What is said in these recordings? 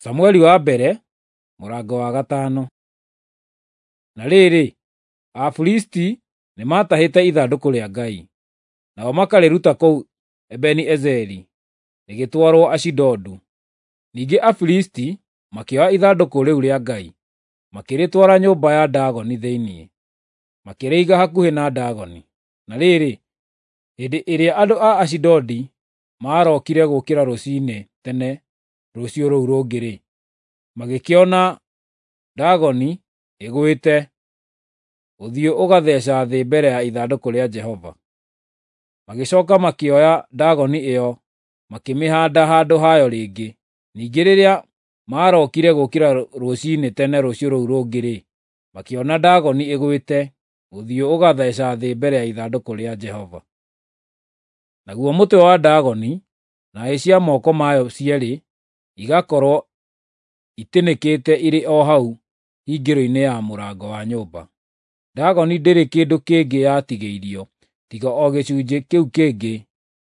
Samueli wa mbere mũrango wa 5. Na rĩrĩ, Afilisti nĩmatahĩte ithandũkũ rĩa Ngai, nao makarĩruta kũu Ebeni-Ezeri, rĩgĩtwarwo Ashidodu. Ningĩ Afilisti makĩoya ithandũkũ rĩu rĩa Ngai, makĩrĩtwara nyũmba ya Dagoni thĩinĩ, makĩrĩiga hakuhĩ na Dagoni. Na rĩrĩ, hĩndĩ ĩrĩa andũ a Ashidodi maarokire gũũkĩra rũciinĩ tene rũciũ rũu rũngĩ-rĩ, magĩkĩona Dagoni ĩgwĩte, ũthiũ ũgatheeca thĩ mbere ya ithandũkũ rĩa Jehova. Magĩcooka makĩoya Dagoni ĩyo makĩmĩhaanda handũ hayo rĩngĩ. Ningĩ rĩrĩa maarokire gũũkĩra rũciinĩ tene rũciũ rũu rũngĩ-rĩ, makĩona Dagoni ĩgwĩte, ũthiũ ũgatheeca thĩ mbere ya ithandũkũ rĩa Jehova. Naguo mũtwe wa Dagoni na hĩ cia moko mayo cierĩ igakorwo itinĩkĩte irĩ o hau hingĩro-inĩ ya mũrango wa nyũmba. Dagoni ndĩrĩ kĩndũ kĩngĩ yatigĩirio tiga o gĩcunjĩ kĩu kĩngĩ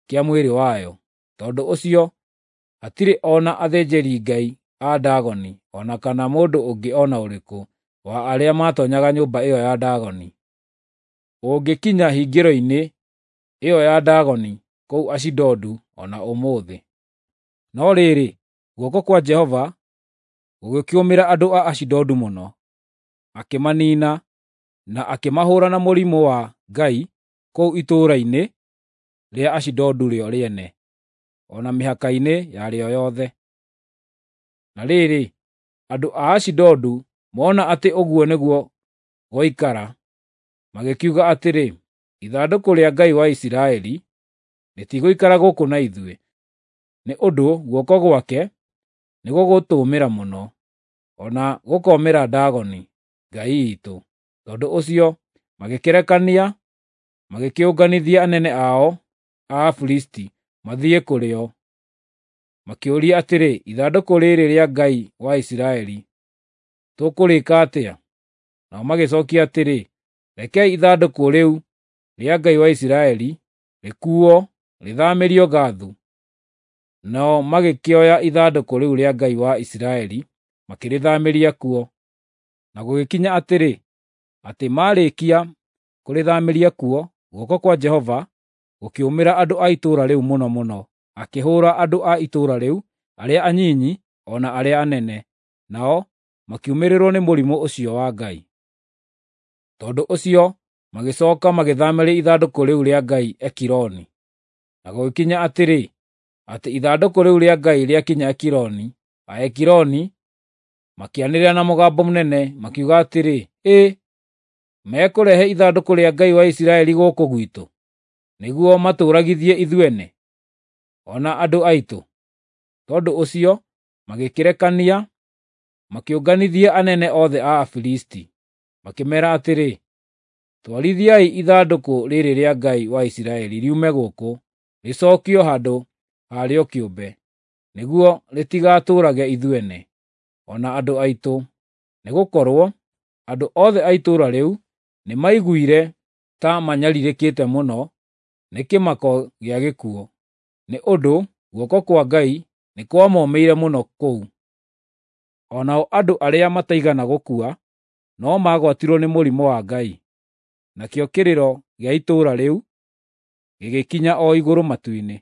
kĩa mwĩrĩ wayo. Tondũ ũcio hatirĩ o na athĩnjĩri-ngai a Dagoni o na kana mũndũ ũngĩ o na ũrĩkũ wa arĩa maatoonyaga nyũmba ĩyo ya Dagoni ũngĩkinya hingĩro-inĩ ĩyo ya Dagoni kũu Ashidodu o na ũmũthĩ. No rĩrĩ, guoko kwa Jehova gũgĩkĩũmĩra andũ a Ashidodu mũno, akĩmaniina na akĩmahũũra na mũrimũ wa Ngai kũu itũũra-inĩ rĩa Ashidodu rĩo rĩene, o na mĩhaka-inĩ yarĩo yothe. Na rĩrĩ, andũ a Ashidodu mona atĩ ũguo nĩguo gwaikara, magĩkiuga atĩrĩ, “Ithandũkũ rĩa Ngai wa Isiraeli rĩtigũikara gũkũ na ithuĩ, nĩ ũndũ guoko gwake nĩgũgũtũũmĩra mũno, o na gũkoomĩra Dagoni, ngai iitũ.” Tondũ ũcio magĩkĩrekania magĩkĩũnganithia anene ao a Afilisti mathiĩ kũrĩ o. Makĩũria atĩrĩ, “Ithandũkũ rĩrĩ rĩa Ngai wa Isiraeli tũkũrĩĩka atĩa?” Nao magĩcookia atĩrĩ, “Rekei ithandũkũ rĩu rĩa Ngai wa Isiraeli rĩkuuo rĩthaamĩrio Gathu.” Nao magĩkĩoya ithandũkũ rĩu rĩa Ngai wa Isiraeli makĩrĩthaamĩria kuo. Na gũgĩkinya atĩrĩ, atĩ maarĩkia kũrĩthaamĩria kuo, guoko kwa Jehova gũkĩũmĩra andũ a itũũra rĩu mũno mũno, akĩhũũra andũ a itũũra rĩu, arĩa anyinyi o na arĩa anene, nao makiumĩrĩrwo nĩ mũrimũ ũcio wa Ngai. Tondũ ũcio magĩcooka magĩthaamĩria ithandũkũ rĩu rĩa Ngai Ekironi. Na gũgĩkinya atĩrĩ, atĩ ithandũkũ rĩu rĩa Ngai rĩakinya Ekironi, Aekironi makĩanĩrĩra na mũgambo mũnene makiuga atĩrĩ, “Ĩ, mekũrehe ithandũkũ rĩa Ngai wa Isiraeli gũkũ gwitũ, nĩguo matũũragithie ithuene, o na andũ aitũ?” Tondũ ũcio magĩkĩrekania makĩũnganithia anene othe a Afilisti, makĩmeera atĩrĩ, “Twarithiai ithandũkũ rĩrĩ rĩa Ngai wa Isiraeli riume gũkũ, rĩcookio handũ harĩo kĩũmbe, nĩguo rĩtigatũũrage ithuene, o na andũ aitũ.” Nĩgũkorwo andũ othe a itũũra rĩu nĩmaiguire ta manyarirĩkĩte mũno nĩ kĩmako gĩa gĩkuũ, nĩ ũndũ guoko kwa Ngai nĩ kwamomĩire mũno kũu. O nao andũ arĩa mataigana gũkua no maagwatirwo nĩ mũrimũ wa Ngai. Nakĩo kĩrĩro gĩa itũũra rĩu gĩgĩkinya o igũrũ matu-inĩ.